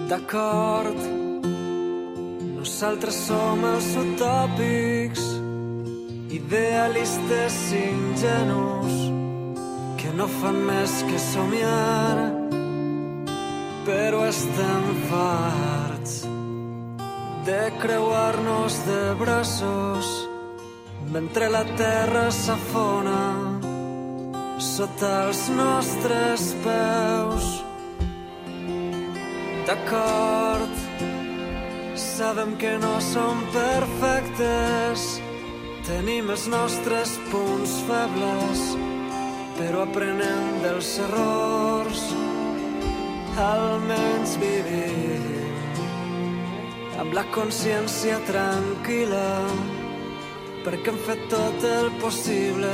D'acord, nosaltres som els utòpics, idealistes ingenus, que no fan més que somiar, però estem farts de creuar-nos de braços mentre la terra s'afona sota els nostres peus. D'acord, sabem que no som perfectes, tenim els nostres punts febles, però aprenem dels errors, almenys vivim amb la consciència tranquil·la, perquè hem fet tot el possible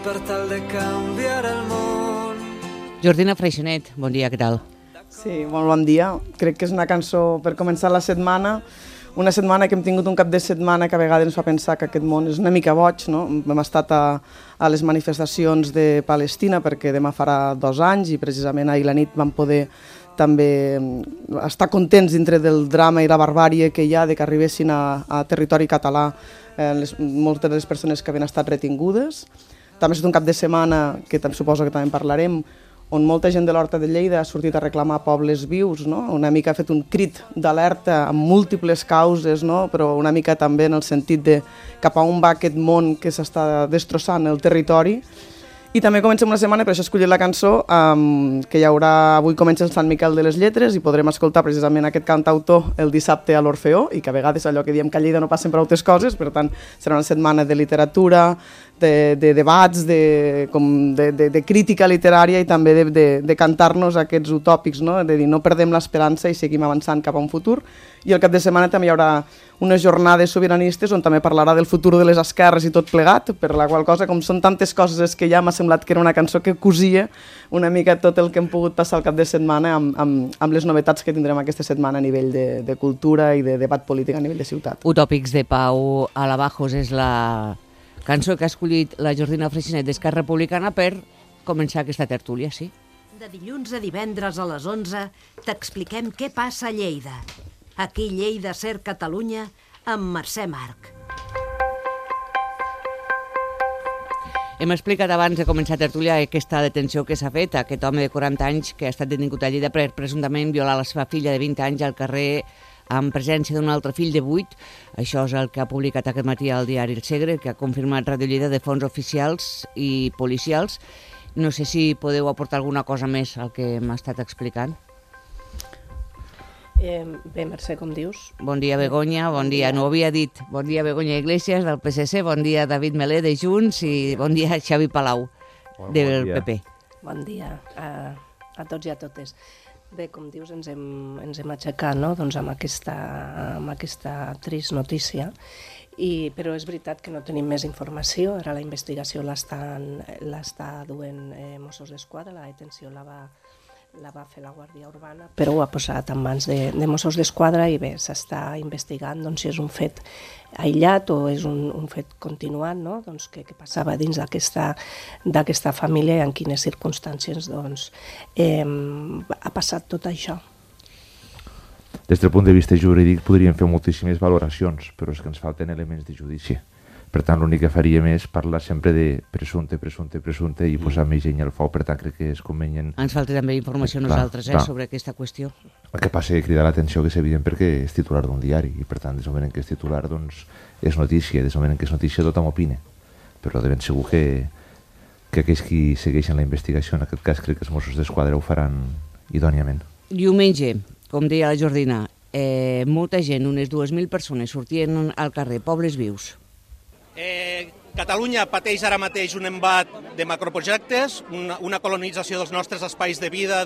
per tal de canviar el món. Jordina Freixenet, bon dia, què tal? Sí, molt bon dia. Crec que és una cançó per començar la setmana, una setmana que hem tingut un cap de setmana que a vegades ens fa pensar que aquest món és una mica boig, no? Hem estat a les manifestacions de Palestina perquè demà farà 2 anys i precisament ahir la nit vam poder també estar contents dintre del drama i la barbàrie que hi ha de que arribessin a territori català moltes de les persones que havien estat retingudes. També ha estat un cap de setmana, que suposo que també en parlarem, on molta gent de l'Horta de Lleida ha sortit a reclamar pobles vius, no? Una mica ha fet un crit d'alerta amb múltiples causes, no? Però una mica també en el sentit de cap a on va aquest món que s'està destrossant el territori. I també comencem una setmana, per això he escollit la cançó, que hi haurà, avui comença el Sant Miquel de les Lletres i podrem escoltar precisament aquest cantautor el dissabte a l'Orfeó, i que a vegades allò que diem que a Lleida no passen per altres coses, per tant serà una setmana de literatura, de debats, de crítica literària i també de cantar-nos aquests utòpics, no? De dir no perdem l'esperança i seguim avançant cap a un futur. I el cap de setmana també hi haurà unes jornades sobiranistes on també parlarà del futur de les esquerres i tot plegat, per la qual cosa, com són tantes coses que ja m'ha semblat que era una cançó que cosia una mica tot el que hem pogut passar el cap de setmana amb les novetats que tindrem aquesta setmana a nivell de cultura i de debat polític a nivell de ciutat. Utòpics de Pau Alabajos és la cançó que ha escollit la Jordina Freixenet d'Esquerra Republicana per començar aquesta tertúlia, sí? De dilluns a divendres a les 11 t'expliquem què passa a Lleida. Aquí Lleida Ser Catalunya amb Mercè Marc. Hem explicat abans de començar a tertúlia aquesta detenció que s'ha fet a aquest home de 40 anys que ha estat detingut a Lleida per presumptament violar la seva filla de 20 anys al carrer amb presència d'un altre fill de 8. Això és el que ha publicat aquest matí al diari El Segre, que ha confirmat Ràdio Lleida de fons oficials i policials. No sé si podeu aportar alguna cosa més al que m'ha estat explicant. Bé, Mercè, com dius? Bon dia, Begoña, bon dia, no ho havia dit. Bon dia, Begoña Iglesias, del PSC, bon dia, David Melé, de Junts, i bon dia, Xavi Palau, del PP. Bon dia a tots i a totes. Bé, com dius, ens hem aixecat, no? Doncs amb aquesta trist notícia, però és veritat que no tenim més informació. Ara la investigació l'està duent Mossos d'Esquadra, la detenció la va fer la Guàrdia Urbana, però ho ha posat en mans de Mossos d'Esquadra i bé, s'està investigant si és un fet aïllat o és un fet continuat, no? Doncs que passava dins d'aquesta família i en quines circumstàncies ha passat tot això. Des del punt de vista jurídic podríem fer moltíssimes valoracions, però és que ens falten elements de judici. Per tant, l'únic que faríem és parlar sempre de presumpte i posar més gent al foc. Per tant, crec que és convenient... Ens falta també informació a nosaltres sobre aquesta qüestió. El que passa és cridar l'atenció que és evident perquè és titular d'un diari i per tant, des del moment que és titular, doncs, és notícia. Des del moment que és notícia, tothom opina. Però de ben segur que aquells qui segueixen la investigació, en aquest cas crec que els Mossos d'Esquadra ho faran idòniament. Diumenge, com deia la Jordina, molta gent, unes 2.000 persones, sortien al carrer, pobles vius. Catalunya pateix ara mateix un embat de macroprojectes, una colonització dels nostres espais de vida,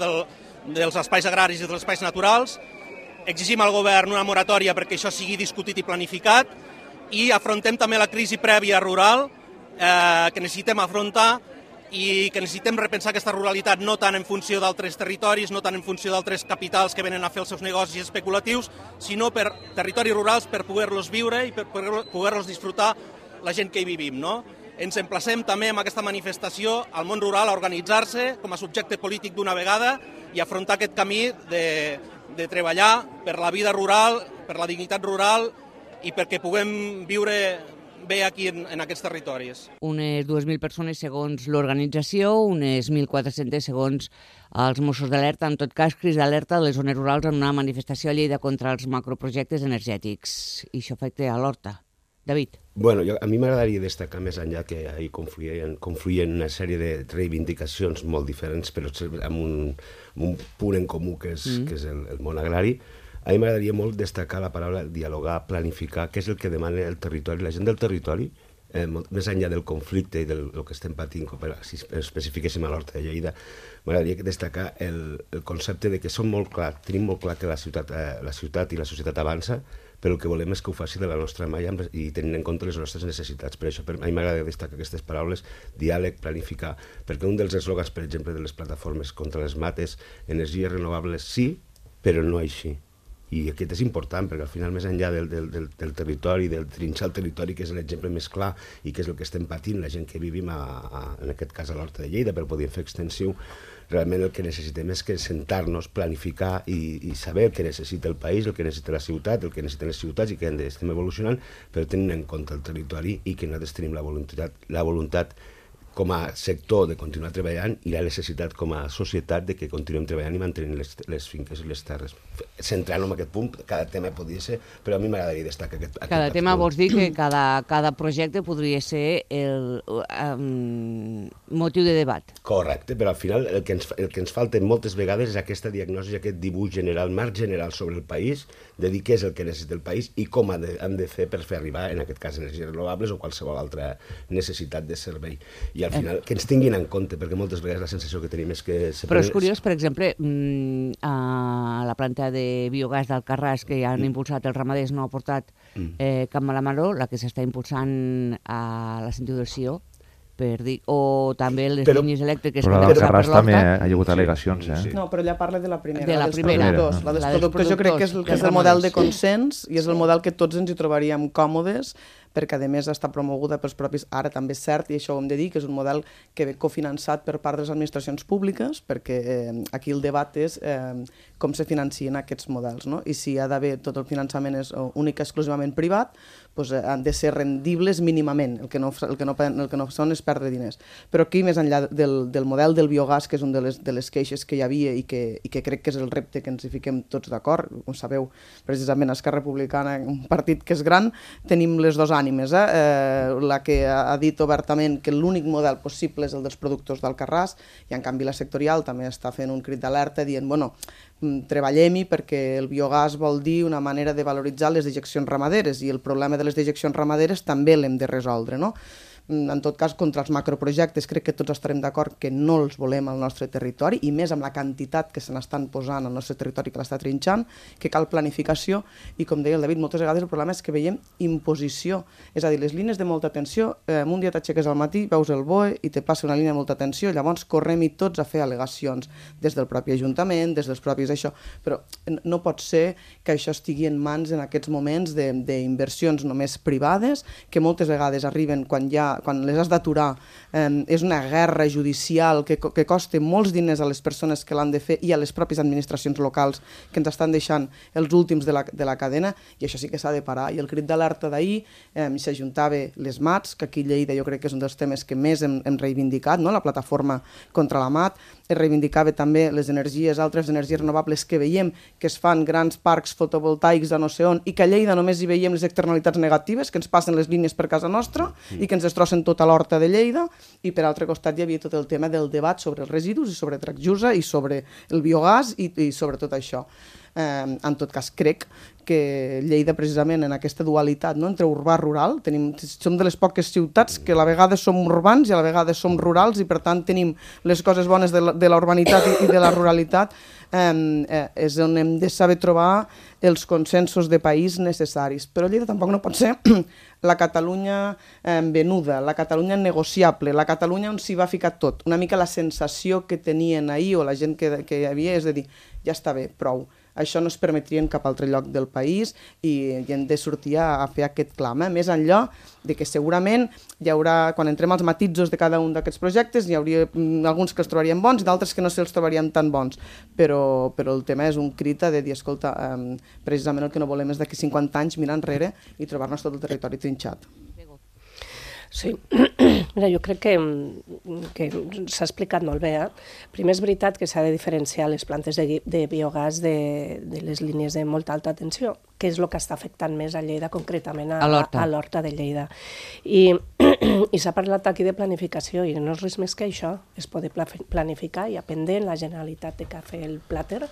dels espais agraris i dels espais naturals. Exigim al govern una moratòria perquè això sigui discutit i planificat i afrontem també la crisi prèvia rural que necessitem afrontar i que necessitem repensar aquesta ruralitat no tant en funció d'altres territoris, no tant en funció d'altres capitals que venen a fer els seus negocis especulatius, sinó per territoris rurals per poder-los viure i per poder-los disfrutar la gent que hi vivim, no? Ens emplacem també amb aquesta manifestació al món rural a organitzar-se com a subjecte polític d'una vegada i afrontar aquest camí de treballar per la vida rural, per la dignitat rural i perquè puguem viure bé aquí en aquests territoris. Unes 2.000 persones segons l'organització, unes 1.400 segons els Mossos d'Alerta. En tot cas, crits d'alerta de les zones rurals en una manifestació a Lleida contra els macroprojectes energètics. I això afecta a l'Horta. David. Bueno, a mi m'agradaria destacar més enllà que ahir confluïen una sèrie de reivindicacions molt diferents, però amb un punt en comú que és el món agrari. A mi m'agradaria molt destacar la paraula dialogar, planificar, que és el que demana el territori, la gent del territori, més enllà del conflicte i del que estem patint, si especifiquéssim a l'Horta de Lleida, m'agradaria destacar el concepte de que tenim molt clar que la ciutat i la societat avança, però el que volem és que ho faci de la nostra mà i tenint en compte les nostres necessitats. Per això a mi m'agrada destacar aquestes paraules, diàleg, planificar, perquè un dels eslògans, per exemple, de les plataformes contra les mates, energies renovables sí, però no així. I aquest és important, perquè al final, més enllà del territori, del trinxar el territori, que és l'exemple més clar i que és el que estem patint, la gent que vivim, en aquest cas a l'Horta de Lleida, per poder fer extensiu, realment el que necessitem és que sentar-nos, planificar i saber el que necessita el país, el que necessita la ciutat, el que necessiten les ciutats i que estem evolucionant, però tenint en compte el territori i que nosaltres tenim la voluntat com a sector de continuar treballant i la necessitat com a societat de que continuem treballant i mantenint les finques i les terres. Centrant-ho en aquest punt, cada tema podria ser, però a mi m'agradaria destacar aquest Cada tema vols dir que cada projecte podria ser el motiu de debat. Correcte, però al final el que ens falta moltes vegades és aquesta diagnosi, aquest dibuix general, marc general sobre el país, de dir què és el que necessita el país i com hem de fer per fer arribar, en aquest cas, energies renovables o qualsevol altra necessitat de servei. I al final, que ens tinguin en compte, perquè moltes vegades la sensació que tenim és que... Però és curiós, per exemple, a la planta de biogàs d'Alcarràs que ja han impulsat els ramaders, no ha portat cap Malamaró, la que s'està impulsant a la sentiu del Sió, per dir, o també les línies elèctriques... Però a l'Alcarràs també ha hagut al·legacions, Sí. No, però ella parla de la primera, de la dels primera. productors. La dels productors jo crec que és el model de consens i és el model que tots ens hi trobaríem còmodes, perquè a més està promoguda pels propis... Ara també és cert, i això ho hem de dir, que és un model que ve cofinançat per part de les administracions públiques, perquè aquí el debat és com se financien aquests models, no? I si ha d'haver tot el finançament és únic exclusivament privat, doncs han de ser rendibles mínimament, el que no són és perdre diners. Però aquí, més enllà del model del biogàs, que és una de les queixes que hi havia i que crec que és el repte que ens hi fiquem tots d'acord, com sabeu, precisament Esquerra Republicana, un partit que és gran, tenim les dues ànimes, la que ha dit obertament que l'únic model possible és el dels productors d'Alcarràs, i en canvi la sectorial també està fent un crit d'alerta dient, bueno, treballem-hi perquè el biogàs vol dir una manera de valoritzar les dejeccions ramaderes i el problema de les dejeccions ramaderes també l'hem de resoldre, no? En tot cas, contra els macroprojectes crec que tots estarem d'acord que no els volem al nostre territori i més amb la quantitat que se n'estan posant al nostre territori que l'està trinxant, que cal planificació i, com deia el David, moltes vegades el problema és que veiem imposició, és a dir, les línies de molta tensió, un dia t'aixeques al matí, veus el BOE i te passa una línia de molta tensió, llavors correm-hi tots a fer al·legacions des del propi Ajuntament, des dels propis això, però no pot ser que això estigui en mans en aquests moments d'inversions només privades, que moltes vegades arriben quan les has d'aturar, és una guerra judicial que costa molts diners a les persones que l'han de fer i a les pròpies administracions locals que ens estan deixant els últims de la cadena, i això sí que s'ha de parar. I el crit d'alerta d'ahir s'ajuntava les mats, que aquí a Lleida jo crec que és un dels temes que més hem reivindicat, no? La plataforma contra la mat, es reivindicava també les altres energies renovables que veiem que es fan grans parcs fotovoltaics de no sé on i que a Lleida només hi veiem les externalitats negatives, que ens passen les línies per casa nostra i que ens destrossen tota l'horta de Lleida, i per altre costat hi havia tot el tema del debat sobre els residus i sobre Tracjusa i sobre el biogàs i sobre tot això. En tot cas, crec que Lleida, precisament, en aquesta dualitat, no?, entre urbà-rural, som de les poques ciutats que a la vegada som urbans i a la vegada som rurals i, per tant, tenim les coses bones de la urbanitat i de la ruralitat, és on hem de saber trobar els consensos de país necessaris. Però Lleida tampoc no pot ser la Catalunya venuda, la Catalunya negociable, la Catalunya on s'hi va ficar tot. Una mica la sensació que tenien ahir, o la gent que hi havia, és de dir, ja està bé, prou. Això no es permetria en cap altre lloc del país i hem de sortir a fer aquest clam. Més enllà de que segurament hi haurà, quan entrem als matisos de cada un d'aquests projectes, hi hauria alguns que els trobaríem bons i d'altres que no se'ls trobaríem tan bons. Però el tema és un crit de dir, escolta, precisament el que no volem és d'aquí 50 anys mirar enrere i trobar-nos tot el territori trinxat. Sí, mira, jo crec que s'ha explicat molt bé. Primer és veritat que s'ha de diferenciar les plantes de biogàs de les línies de molta alta tensió, que és el que està afectant més a Lleida, concretament a l'Horta de Lleida. I s'ha parlat aquí de planificació, i no és res més que això, és poder planificar, i pendent la Generalitat té que fer el PLATER,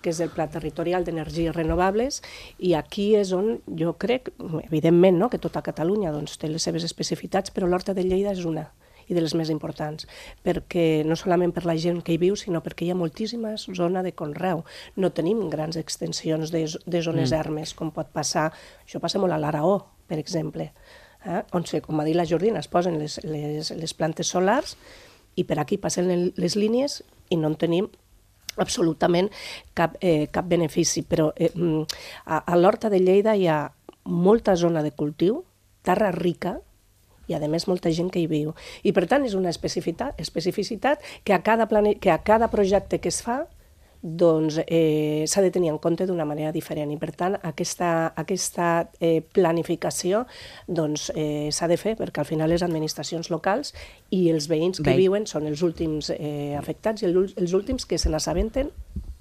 que és el Pla Territorial d'Energies Renovables, i aquí és on jo crec, evidentment, no?, que tota Catalunya té les seves especificitats, però l'Horta de Lleida és una, i de les més importants, perquè no solament per la gent que hi viu, sinó perquè hi ha moltíssima zona de conreu. No tenim grans extensions de zones ermes, com pot passar, això passa molt a l'Araó, per exemple, on, com ha dit la Jordina, es posen les plantes solars i per aquí passen les línies i no en tenim absolutament cap benefici. Però a l'Horta de Lleida hi ha molta zona de cultiu, terra rica, i a més molta gent que hi viu. I per tant és una especificitat que a cada projecte que es fa s'ha de tenir en compte d'una manera diferent, i per tant aquesta planificació s'ha de fer, perquè al final les administracions locals i els veïns que viuen són els últims afectats i els últims que se n'assabenten,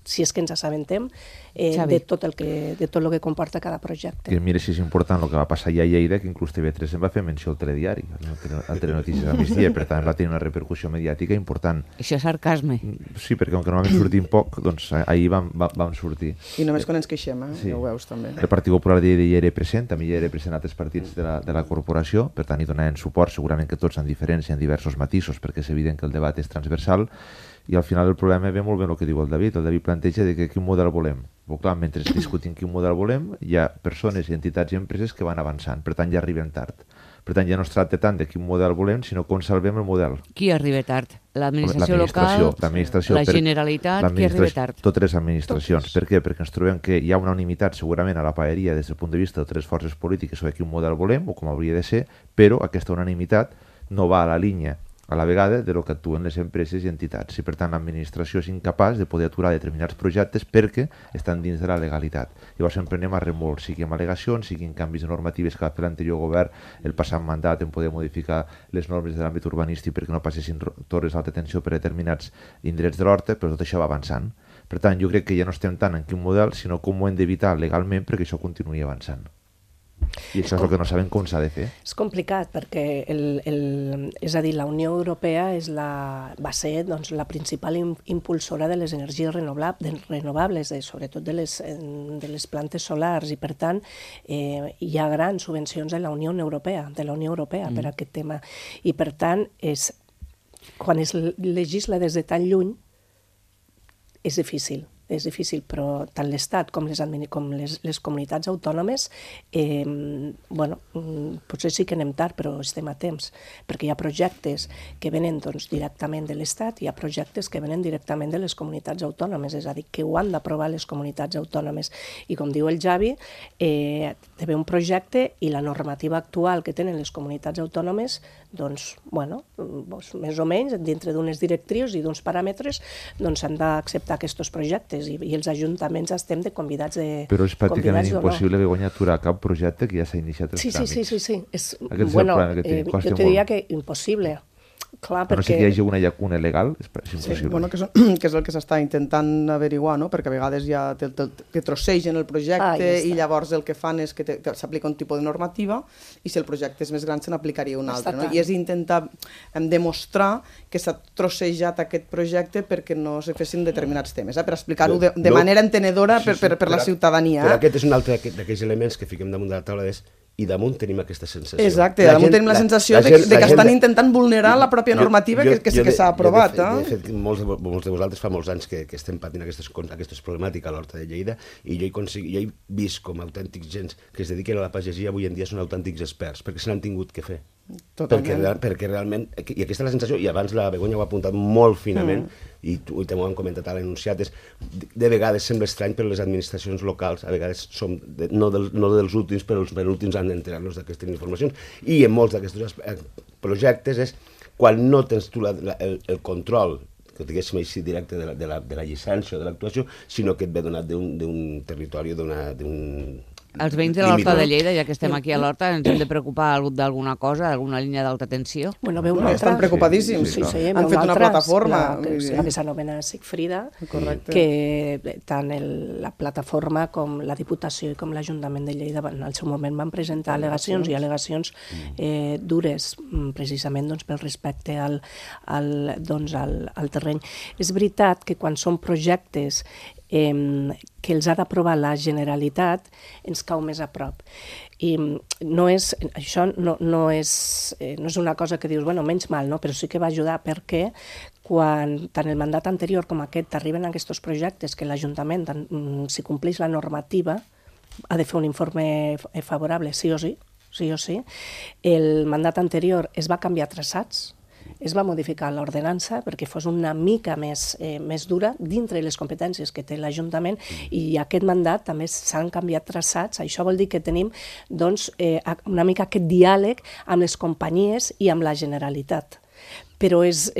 si és que ens assabentem, de tot el que comporta cada projecte. I mira si és important el que va passar allà a Lleida, que inclús TV3 en va fer menció al telediari, al Telenotícies al migdia, per tant va tenir una repercussió mediàtica important. Això és sarcasme. Sí, perquè com que normalment sortim poc, doncs ahir vam sortir. I només quan ens queixem, ja ho veus també. El Partit Popular de Lleida hi era present, també hi era present altres partits de la corporació, per tant hi donaven suport, segurament que tots en diferència, en diversos matisos, perquè és evident que el debat és transversal. I al final el problema ve molt bé el que diu el David. El David planteja de quin model volem. Però clar, mentre discutim quin model volem, hi ha persones, entitats i empreses que van avançant, per tant ja arribem tard. Per tant ja no es tracta tant de quin model volem, sinó com salvem el model. Qui arriba tard? L'administració local, la Generalitat, qui arriba tard? Totes les administracions. Per què? Perquè ens trobem que hi ha una unanimitat segurament a la paeria des del punt de vista de tres forces polítiques sobre quin model volem o com hauria de ser, però aquesta unanimitat no va a la línia a la vegada de lo que actuen les empreses i entitats. I per tant l'administració és incapaç de poder aturar determinats projectes perquè estan dins de la legalitat. Llavors sempre anem a remolc, sigui amb al·legacions, sigui en canvis de normatives que va fer l'anterior govern el passat mandat en poder modificar les normes de l'àmbit urbanístic perquè no passessin torres d'alta tensió per determinats indrets de l'Horta, però tot això va avançant. Per tant, jo crec que ja no estem tant en quin model, sinó com ho hem d'evitar legalment perquè això continuï avançant. I això és el que no sabem com s'ha de fer. És complicat perquè, és a dir, la Unió Europea va ser la principal impulsora de les energies renovables, sobretot de les plantes solars, i per tant hi ha grans subvencions de la Unió Europea per a aquest tema. I per tant, quan es legisla des de tan lluny, és difícil, però tant l'Estat com les comunitats autònomes, potser sí que anem tard, però estem a temps, perquè hi ha projectes que venen directament de l'Estat i hi ha projectes que venen directament de les comunitats autònomes, és a dir, que ho han d'aprovar les comunitats autònomes. I com diu el Javi, hi ha un projecte i la normativa actual que tenen les comunitats autònomes, més o menys, dintre d'unes directrius i d'uns paràmetres, s'han d'acceptar aquests projectes. I els ajuntaments estem de convidats de... Però és pràcticament impossible guanyar aturar cap projecte que ja s'ha iniciat els tràmits. Sí. Jo te diria que impossible. Clar, perquè... No sé que hi hagi una llacuna legal, és impossible. Que és el que s'està intentant averiguar, perquè a vegades ja te trossegen el projecte i llavors el que fan és que s'aplica un tipus de normativa i si el projecte és més gran se n'aplicaria un altre. I és intentar demostrar que s'ha trossejat aquest projecte perquè no se fessin determinats temes, per explicar-ho de manera entenedora per la ciutadania. Però aquest és un altre d'aquells elements que fiquem damunt de la taula, i damunt tenim aquesta sensació. Exacte, damunt tenim la sensació de que estan intentant vulnerar la pròpia normativa que s'ha aprovat. De fet, molts de vosaltres fa molts anys que estem patint aquestes problemàtiques a l'Horta de Lleida i jo he vist com autèntics gens que es dediquen a la pagesia avui en dia són autèntics experts, perquè se n'han tingut que fer. perquè realment, i aquesta és la sensació, i abans la Begoña ho ha apuntat molt finament, i també ho hem comentat a l'enunciat, de vegades sembla estrany, però les administracions locals a vegades som no dels últims, però els penúltims han d'enterar-nos d'aquestes informacions, i en molts d'aquests projectes és quan no tens tu el control, que diguéssim així directe de la llicència o de l'actuació, sinó que et ve donat d'un territori, d'un... Els veïns de l'Horta de Lleida, ja que estem aquí a l'Horta, ens hem de preocupar d'alguna cosa, d'alguna línia d'alta tensió? Bueno, ve una altra... Estan preocupadíssims. Han fet una plataforma. La que s'anomena Sigfrida, que tant la plataforma com la Diputació i com l'Ajuntament de Lleida al seu moment van presentar al·legacions i al·legacions dures, precisament pel respecte al terreny. És veritat que quan són projectes que els ha d'aprovar la Generalitat, ens cau més a prop. I això no és una cosa que dius, bueno, menys mal, no? Però sí que va ajudar perquè quan tant el mandat anterior com aquest arriben a aquests projectes que l'Ajuntament, si compleix la normativa, ha de fer un informe favorable, sí o sí. El mandat anterior es va canviar traçats, es va modificar l'ordenança perquè fos una mica més dura dintre les competències que té l'Ajuntament, i aquest mandat també s'han canviat traçats. Això vol dir que tenim una mica aquest diàleg amb les companyies i amb la Generalitat. Però és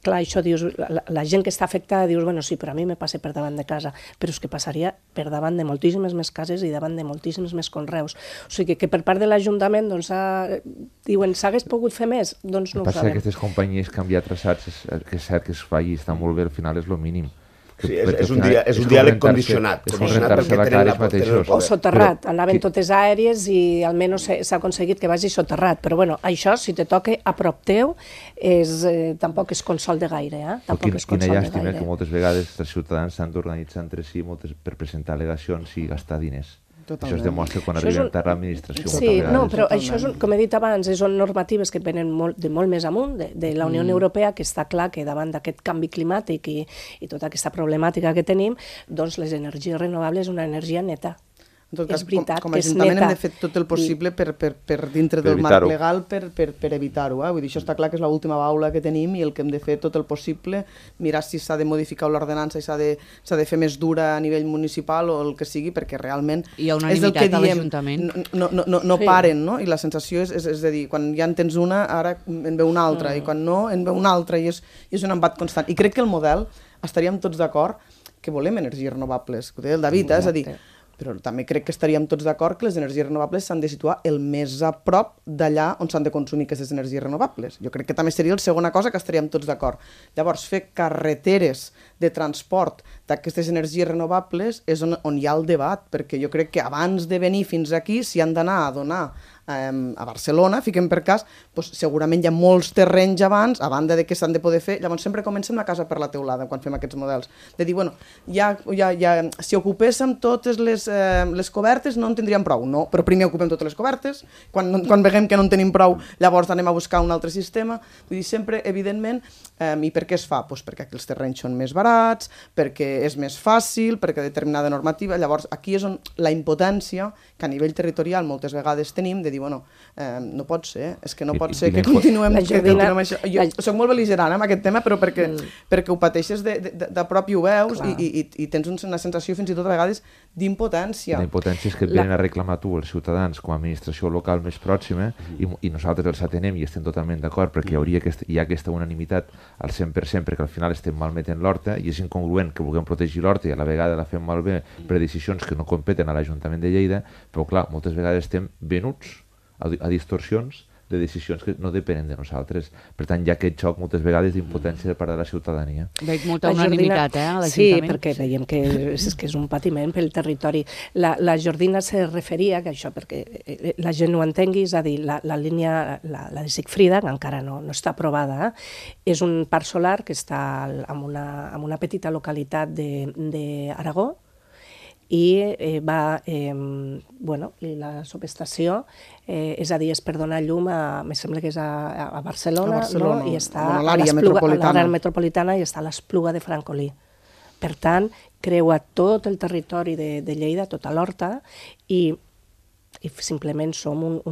clar, això dius, la gent que està afectada dius, bueno, sí, però a mi me passa per davant de casa, però és que passaria per davant de moltíssimes més cases i davant de moltíssims més conreus. O sigui que per part de l'Ajuntament, diuen, s'hagués pogut fer més? Doncs no ho sabem. Passa que aquestes companyies canviar traçats, que és cert que es faci, està molt bé, al final és el mínim. Sí, és un diàleg condicionat. És condicionat la cara ells mateixos. O soterrat, anaven totes aèries i almenys s'ha aconseguit que vagi soterrat. Però bueno, això, si te toca a prop teu, tampoc és consol de gaire. Quina llàstima que moltes vegades els ciutadans s'han d'organitzar entre si per presentar al·legacions i gastar diners. Totalment. Això es demostra quan arribem tard a l'administració. Sí, no, però això, com he dit abans, són normatives que venen de molt més amunt, de la Unió Europea, que està clar que davant d'aquest canvi climàtic i tota aquesta problemàtica que tenim, doncs les energies renovables és una energia neta. En tot cas, com a Ajuntament hem de fer tot el possible per dintre del marc legal per evitar-ho. Vull dir, això està clar que és l'última baula que tenim i el que hem de fer tot el possible, mirar si s'ha de modificar l'ordenança i s'ha de fer més dura a nivell municipal o el que sigui, perquè realment és el que diem, no paren, no? I la sensació és a dir, quan ja en tens una, ara en ve una altra, i quan no, en ve una altra, i és un embat constant. I crec que el model, estaríem tots d'acord que volem energies renovables, ho deia el David, és a dir, però també crec que estaríem tots d'acord que les energies renovables s'han de situar el més a prop d'allà on s'han de consumir aquestes energies renovables. Jo crec que també seria la segona cosa que estaríem tots d'acord. Llavors, fer carreteres de transport d'aquestes energies renovables és on hi ha el debat, perquè jo crec que abans de venir fins aquí, si han d'anar a donar a Barcelona, fiquem per cas, doncs segurament hi ha molts terrenys abans, a banda de que s'han de poder fer. Llavors sempre comencem la casa per la teulada quan fem aquests models, de dir, bueno, si ocupéssim totes les cobertes no en tindríem prou, no, però primer ocupem totes les cobertes, quan veiem que no en tenim prou, llavors anem a buscar un altre sistema. Vull dir, sempre, evidentment, i per què es fa? Doncs perquè els terrenys són més barats, perquè és més fàcil, perquè determinada normativa. Llavors aquí és on la impotència que a nivell territorial moltes vegades tenim, de dir, bueno, no pot ser, és que no pot ser que continuem això. Jo soc molt bel·ligerant amb aquest tema, però perquè ho pateixes de prop i ho veus i tens una sensació fins i tot a vegades d'impotència. La impotència és que et venen a reclamar tu, els ciutadans, com a administració local més pròxima, i nosaltres els atenem i estem totalment d'acord perquè hi ha aquesta unanimitat al 100%, perquè al final estem malmetent l'horta i és incongruent que vulguem protegir l'horta i a la vegada la fem malbé per decisions que no competen a l'Ajuntament de Lleida, però clar, moltes vegades estem venuts a distorsions de decisions que no depenen de nosaltres. Per tant, hi ha aquest xoc moltes vegades d'impotència de part de la ciutadania. Veig molta unanimitat, a l'Ajuntament. Sí, perquè veiem que és un patiment pel territori. La Jordina se referia, que això, perquè la gent ho entengui, és a dir, la línia, la de Sigfrida, que encara no està aprovada, és un parc solar que està en una petita localitat d'Aragó, i la subestació, és a dir, és per donar llum me sembla que és a Barcelona, no? I està a l'àrea metropolitana i està a l'Espluga de Francolí. Per tant, creua tot el territori de Lleida, tota l'horta, i simplement som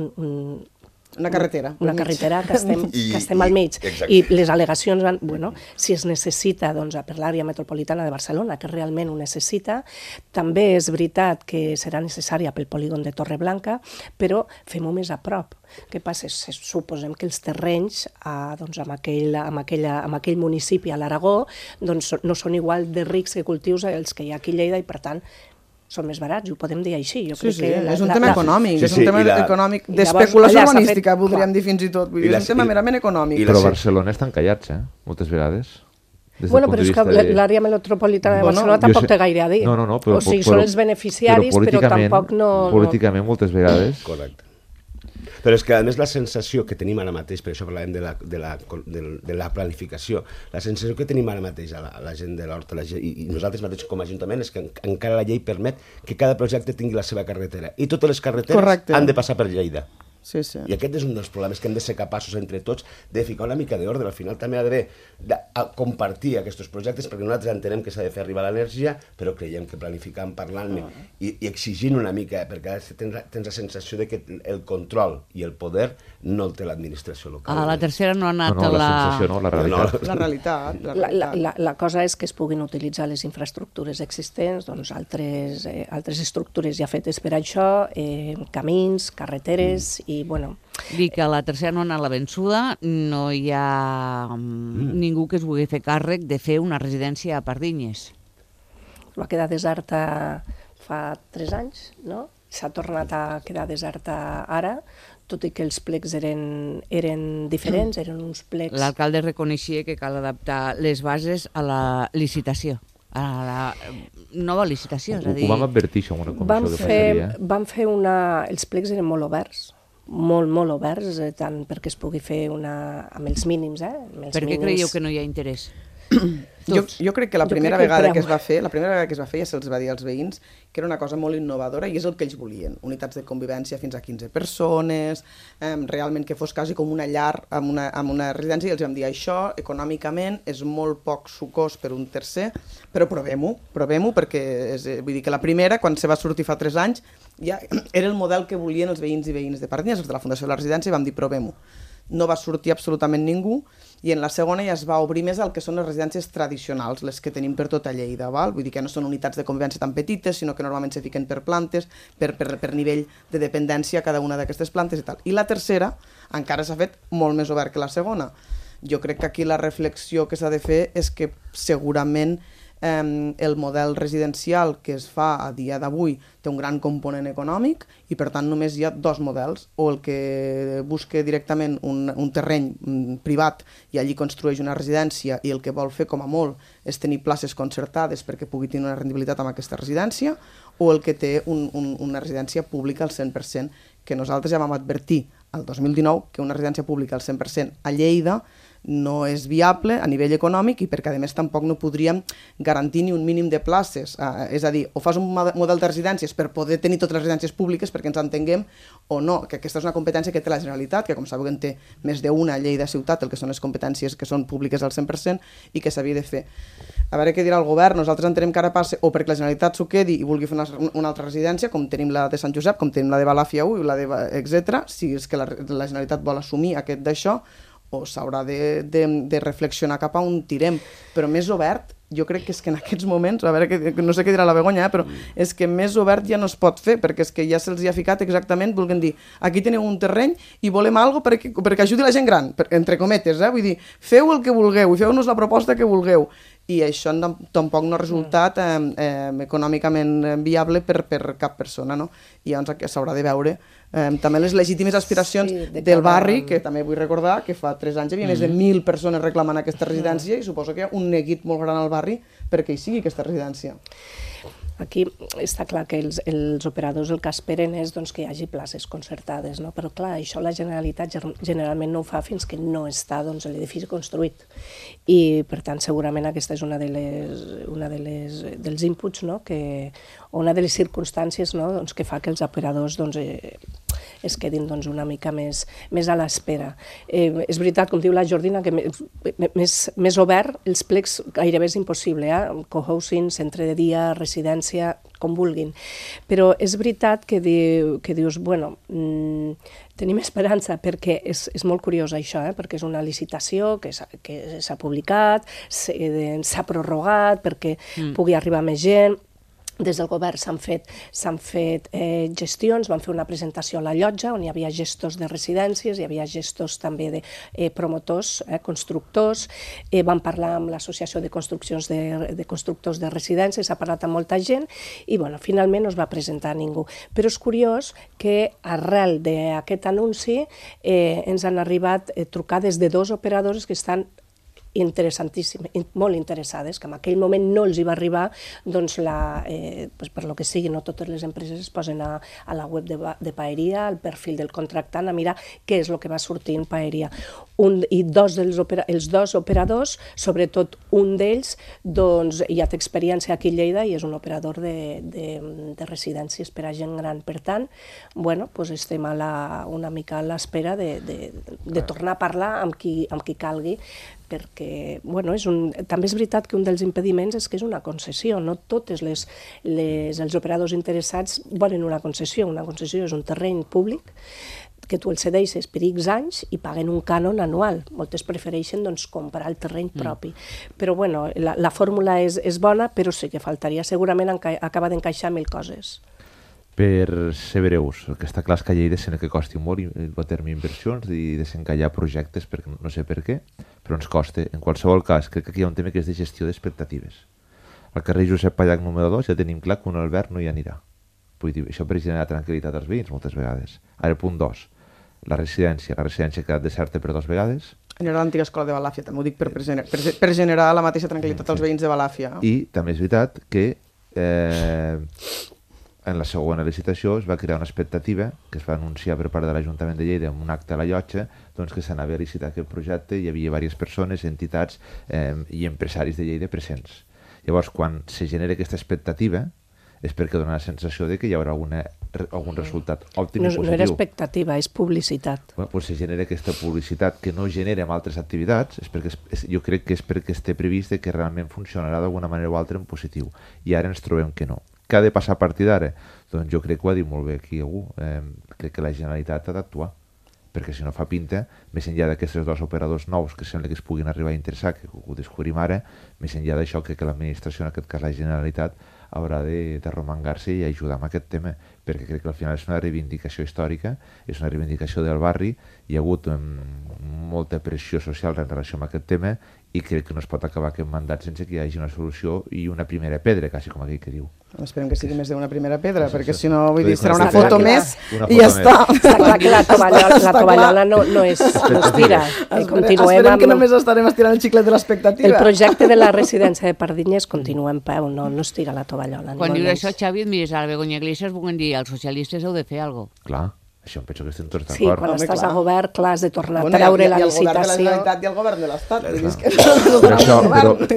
Una carretera. Una carretera que estem al mig. Exacte. I les al·legacions van, bueno, si es necessita doncs, per l'àrea metropolitana de Barcelona, que realment ho necessita, també és veritat que serà necessària pel polígon de Torreblanca, però fem-ho més a prop. Què passa? Suposem que els terrenys doncs, en aquell municipi a l'Aragó doncs, no són igual de rics que cultius els que hi ha aquí a Lleida i, per tant, són més barats, ho podem dir així. Jo crec que és un tema econòmic, és un tema econòmic allà d'especulació s'ha urbanística, fet- podríem dir fins i tot. Vull dir, és un tema merament econòmic. Però Barcelona estan callats, moltes vegades. Bueno, però és que l'àrea metropolitana de Barcelona tampoc té gaire a dir. No, però... O sigui, són els beneficiaris, però tampoc no... Políticament, moltes vegades... Correcte. Però és que, a més, la sensació que tenim ara mateix, per això parlàvem de la planificació, la sensació que tenim ara mateix a la gent de l'Horta i nosaltres mateixos com a Ajuntament és que encara la llei permet que cada projecte tingui la seva carretera. I totes les carreteres han de passar per Lleida. Sí, sí. I aquest és un dels problemes que hem de ser capaços entre tots de ficar una mica d'ordre. Al final també ha d'haver de compartir aquests projectes, perquè nosaltres entenem que s'ha de fer arribar l'energia, però creiem que planificant, parlant-ne i exigint una mica, perquè tens la sensació de que el control i el poder no el té l'administració local. A la tercera no ha anat la sensació no, la realitat. La realitat. La cosa és que es puguin utilitzar les infraestructures existents, doncs altres estructures ja fetes per això, camins, carreteres, i bueno... Dic que a la tercera no ha anat la vençuda, no hi ha ningú que es vulgui fer càrrec de fer una residència a Pardinyes. Va quedar deserta fa 3 anys, no? S'ha tornat a quedar deserta ara, tot i que els plecs eren diferents, eren uns plecs... L'alcalde reconeixia que cal adaptar les bases a la licitació, a la nova licitació, és a dir... Ho vam advertir, això, en una comissió que passaria. Vam fer els plecs eren molt oberts, molt oberts, tant perquè es pugui fer amb els mínims, Per què creieu que no hi ha interès? Jo crec que la primera vegada que es va fer ja se'ls va dir als veïns que era una cosa molt innovadora i és el que ells volien. Unitats de convivència fins a 15 persones, realment que fos quasi com una llar amb una residència, i els vam dir això econòmicament és molt poc sucós per un tercer, però provem-ho perquè vull dir que la primera, quan se va sortir fa 3 anys, ja era el model que volien els veïns i veïnes de Pardinyes, els de la Fundació de la Residència, i vam dir provem-ho. No va sortir absolutament ningú, i en la segona ja es va obrir més al que són les residències tradicionals, les que tenim per tota Lleida, val? Vull dir que no són unitats de convivència tan petites, sinó que normalment se fiquen per plantes, per nivell de dependència cada una d'aquestes plantes i tal. I la tercera encara s'ha fet molt més obert que la segona. Jo crec que aquí la reflexió que s'ha de fer és que segurament el model residencial que es fa a dia d'avui té un gran component econòmic i per tant només hi ha 2 models, o el que busca directament un terreny privat i allí construeix una residència i el que vol fer com a molt és tenir places concertades perquè pugui tenir una rendibilitat amb aquesta residència, o el que té una residència pública al 100%, que nosaltres ja vam advertir el 2019 que una residència pública al 100% a Lleida no és viable a nivell econòmic i perquè a més tampoc no podríem garantir ni un mínim de places, és a dir, o fas un model de residències per poder tenir totes les residències públiques perquè ens entenguem, o no, que aquesta és una competència que té la Generalitat, que com sabeu en té més d'una a Lleida ciutat, el que són les competències que són públiques al 100% i que s'havia de fer. A veure què dirà el govern, nosaltres entenem que ara passa o perquè la Generalitat s'ho quedi i vulgui fer una altra residència, com tenim la de Sant Josep, com tenim la de Balàfia 1 i la de etc. Si és que la Generalitat vol assumir aquest d'això, o s'haurà de reflexionar cap a on tirem, però més obert, jo crec que és que en aquests moments, a veure, no sé què dirà la Begoña, però és que més obert ja no es pot fer, perquè és que ja se'ls ha ficat exactament, vulguem dir, aquí teniu un terreny i volem alguna cosa perquè ajudi la gent gran, entre cometes, vull dir, feu el que vulgueu i feu-nos la proposta que vulgueu, i això tampoc no ha resultat econòmicament viable per cap persona, no? I llavors s'haurà de veure també les legítimes aspiracions del barri, que també vull recordar que fa 3 anys hi havia més de 1.000 persones reclamant aquesta residència i suposo que hi ha un neguit molt gran al barri perquè hi sigui aquesta residència. Aquí està clar que els operadors el que esperen és doncs, que hi hagi places concertades, no? Però clar, això la Generalitat generalment no ho fa fins que no està doncs, l'edifici construït. I per tant segurament aquesta és una dels inputs, no? O una de les circumstàncies, no? Doncs, que fa que els operadors doncs, es quedin doncs, una mica més a l'espera. És veritat, com diu la Jordina, que més obert, els plecs gairebé és impossible, cohousing, centre de dia, residència, com vulguin. Però és veritat que dius, bueno, tenim esperança, perquè és molt curiós això, perquè és una licitació que s'ha publicat, s'ha prorrogat perquè pugui arribar més gent. Des del govern s'han fet gestions, van fer una presentació a la llotja on hi havia gestors de residències, hi havia gestors també de promotors, constructors, van parlar amb l'Associació de Constructors de Residències, s'ha parlat amb molta gent i finalment no es va presentar ningú. Però és curiós que arrel d'aquest anunci ens han arribat trucades de 2 operadores que estan interessantíssimes, molt interessades, que en aquell moment no els hi va arribar, doncs per lo que sigui, no totes les empreses es posen a la web de Paeria, al perfil del contractant, a mirar què és el que va sortir en Paeria. I els 2 operadors, sobretot un d'ells, doncs ja té experiència aquí a Lleida i és un operador de residències per a gent gran. Per tant, estem una mica a l'espera de tornar a parlar amb qui calgui, perquè també és veritat que un dels impediments és que és una concessió, no tots els operadors interessats volen una concessió és un terreny públic que tu el cedeixes per X anys i paguen un cànon anual. Moltes prefereixen comprar el terreny propi. Però la fórmula és bona, però sí que faltaria. Segurament acaba d'encaixar 1000 coses. Per ser breus, el que està clar és que a Lleida sembla que costi molt a terme inversions i desencallar projectes, perquè no sé per què, però ens costa. En qualsevol cas, crec que aquí hi ha un tema que és de gestió d'expectatives. Al carrer Josep Pallac número 2 ja tenim clar que un alberg no hi anirà. Vull dir, això per generar tranquil·litat als veïns moltes vegades. Ara, punt 2, la residència ha quedat deserta per 2 vegades. Era l'antiga escola de Balàfia, també ho dic per generar la mateixa tranquil·litat als veïns de Balàfia. I també és veritat que en la segona licitació es va crear una expectativa que es va anunciar per part de l'Ajuntament de Lleida en un acte a la llotja, doncs que s'anava a licitar aquest projecte i hi havia diverses persones, entitats i empresaris de Lleida presents. Llavors, quan se genera aquesta expectativa, és perquè dona la sensació de que hi haurà algun resultat òptim i positiu. No era expectativa, és publicitat. Doncs se genera aquesta publicitat que no genera en altres activitats, jo crec que és perquè esté previst que realment funcionarà d'alguna manera o altra en positiu. I ara ens trobem que no. Què ha de passar a partir d'ara? Doncs jo crec que ho ha dit molt bé aquí algú. Crec que la Generalitat ha d'actuar, perquè si no fa pinta, més enllà d'aquests 2 operadors nous que sembla que es puguin arribar a interessar, que ho descobrim ara, més enllà d'això crec que l'administració, en aquest cas la Generalitat, haurà d'arromangar-se i ajudar amb aquest tema, perquè crec que al final és una reivindicació històrica, és una reivindicació del barri, hi ha hagut molta pressió social en relació amb aquest tema i crec que no es pot acabar aquest mandat sense que hi hagi una solució i una primera pedra, quasi com aquell que diu. Esperem que sigui més d'una primera pedra, perquè si no, vull dir, serà una foto més i ja està. Està clar que la tovallola no es tira. Esperem que només estarem estirant el xiclet de l'expectativa. El projecte de la residència de Pardinyes continua en peu, no es tira la tovallola. Quan dius això, Xavi, et mires a la Begoña Iglesias, vulguin dir, els socialistes heu de fer alguna cosa. Clar. Això em penso que estem tots d'acord. Sí, quan estàs a govern, clar, has de tornar a treure la licitació. I el govern de la Generalitat i el govern de l'Estat.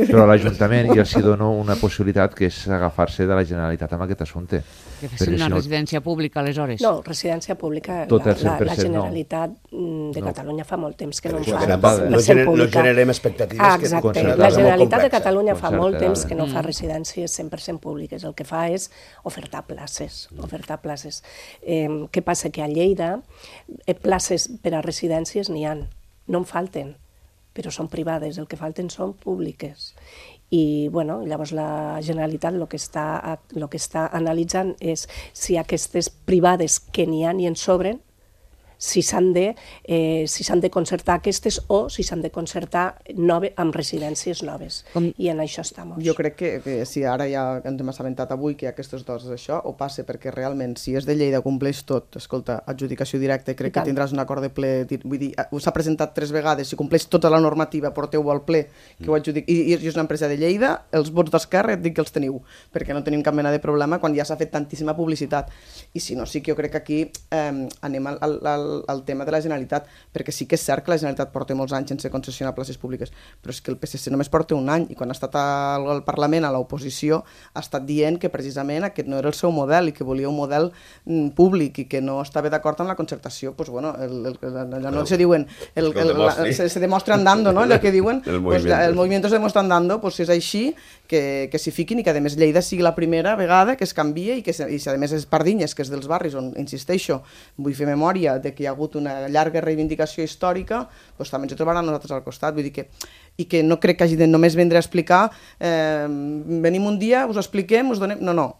Però l'Ajuntament ja s'hi dona una possibilitat que és agafar-se de la Generalitat amb aquest assumpte. Que fes una residència pública, aleshores. No, residència pública, la Generalitat de Catalunya fa molt temps que no fa. No generem expectatives. Exacte, la Generalitat de Catalunya fa molt temps que no fa residències 100% públiques. El que fa és ofertar places. Què passa? Que a Lleida places per a residències n'hi ha, no en falten, però són privades, el que falten són públiques. I llavors la Generalitat el que està analitzant és si aquestes privades que n'hi ha i en sobren, si s'han de concertar aquestes o si s'han de concertar amb residències noves. I en això estem. Jo crec que si ara ja ens hem assabentat avui que hi ha aquestes 2 d'això, ho passa perquè realment si és de Lleida compleix tot, escolta, adjudicació directa, crec que tindràs un acord de ple, vull dir, s'ha presentat 3 vegades, si compleix tota la normativa, porteu-ho al ple, que ho adjudic, i és una empresa de Lleida, els vots d'Esquerra et dic que els teniu, perquè no tenim cap mena de problema quan ja s'ha fet tantíssima publicitat. I si no, sí que jo crec que aquí anem al tema de la Generalitat, perquè sí que és cert que la Generalitat porta molts anys sense concessionar places públiques, però és que el PSC només porta un any, i quan ha estat al Parlament, a l'oposició, ha estat dient que precisament aquest no era el seu model i que volia un model públic i que no estava d'acord amb la concertació. Pues bueno, allò no se diuen, se demostra andando, no? Allò que diuen, el movimiento se demuestra andando, pues si és així, que s'hi fiquin i que a més Lleida sigui la primera vegada que es canvia i que si a més és Pardinyes, que és dels barris on, insisteixo, vull fer memòria de que hi ha hagut una llarga reivindicació històrica, doncs també ens ho trobaran nosaltres al costat, vull dir que i que no crec que hagi de només vindre a explicar venim un dia, us expliquem, us donem... No,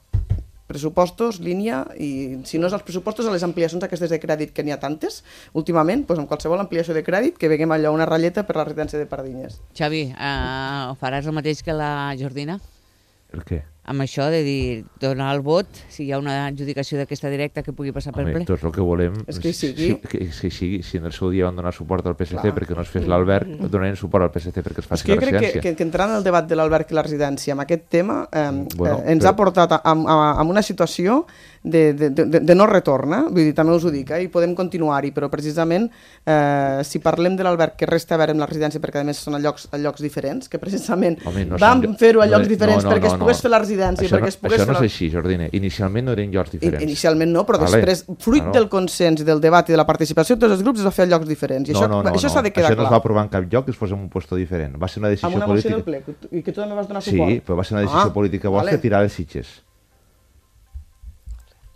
pressupostos, línia, i si no és els pressupostos, a les ampliacions aquestes de crèdit, que n'hi ha tantes, últimament, doncs amb qualsevol ampliació de crèdit, que veiem allò una ratlleta per la residència de Pardinyes. Xavi, faràs el mateix que la Jordina? El què? Amb això de dir, donar el vot, si hi ha una adjudicació d'aquesta directa que pugui passar per ple? Tots el que volem és que sigui. Si en el seu dia van donar suport al PSC perquè no es fes l'Albert, donarem suport al PSC perquè es faci la residència. Jo crec que entrant en el debat de l'Albert i la residència, amb aquest tema, ens ha portat a una situació de no retorn, vull dir, també us ho dic, i podem continuar-hi, però precisament si parlem de l'Albert, que resta a veure amb la residència, perquè a més són a llocs diferents, que precisament vam fer-ho a llocs diferents perquè es pogués fer la residència. Això no és així, Jordina. Inicialment no eren llocs diferents. Inicialment no, però després, fruit del consens, del debat i de la participació de tots els grups, es va fer a llocs diferents. I això s'ha de quedar clar. Això no es va aprovar en cap lloc que es fos en un puesto diferent. Va ser una decisió política. Amb una moció del ple, i que tu també vas donar suport. Sí, però va ser una decisió política vostra tirar les Sitges.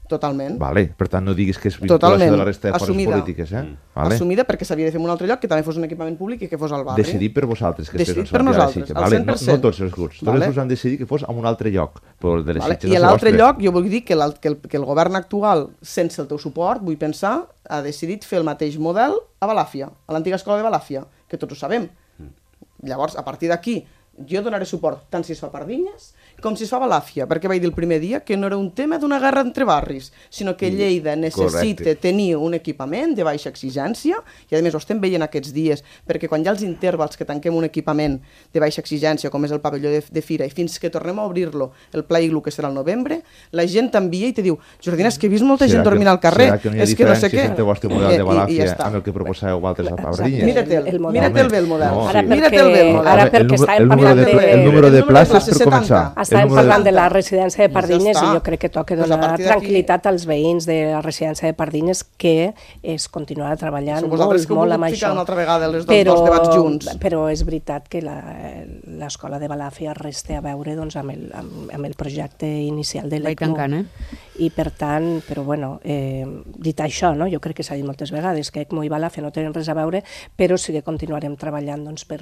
Totalment. Vale. Per tant, no diguis que és vinculació de la resta de forces polítiques. Assumida perquè s'havia de fer en un altre lloc que també fos un equipament públic i que fos al barri. Decidit per vosaltres que es fes per nosaltres, al 100%. No tots els grups. Tots els grups han decidit que fos en un altre lloc. I a l'altre lloc, jo vull dir que el govern actual, sense el teu suport, vull pensar, ha decidit fer el mateix model a Balàfia, a l'antiga escola de Balàfia, que tots ho sabem. Llavors, a partir d'aquí, jo donaré suport tant si es fa a Pardinyes com si es fa a Balàfia, perquè vaig dir el primer dia que no era un tema d'una guerra entre barris, sinó que Lleida necessita tenir un equipament de baixa exigència, i a més ho estem veient aquests dies, perquè quan hi ha els intervals que tanquem un equipament de baixa exigència, com és el pavelló de Fira, i fins que tornem a obrir-lo, el Pla Iglu, que serà el novembre, la gent t'envia i te diu, Jordina, és que he vist molta gent dormint al carrer, és que no sé què. Serà que no hi ha diferència entre el vostre model de Balàfia amb el que proposàveu vosaltres a Pardinyes? Mira-te'l bé el model. Ara perquè estàvem parlant el número de places per començar. Estàvem parlant de la residència de Pardinyes i jo crec que toca donar tranquil·litat als veïns de la residència de Pardinyes, que es continuarà treballant molt amb això. Però és veritat que l'escola de Balàfia resta a veure amb el projecte inicial de l'ECMO. I per tant, però bueno, dit això, jo crec que s'ha dit moltes vegades que ECMO i Balàfia no tenen res a veure, però sí que continuarem treballant per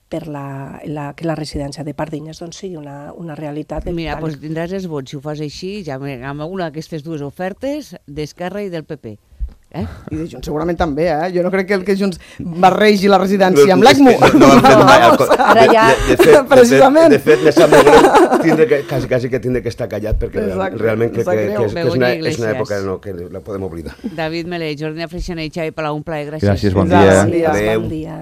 que la residència de Pardinyes sigui una realitat. Mira, doncs tindràs els vots, si ho fas així, ja amb una d'aquestes dues ofertes d'Esquerra i del PP. I de Junts segurament també, jo no crec que Junts barregi la residència amb l'ECMO. Ara ja... Precisament. De fet, quasi que tindre que estar callat perquè realment crec que és una època que la podem oblidar. David Melé, Jordina Freixanet i Xavi Palau, un plaer, gràcies. Gràcies, bon dia. Bon dia.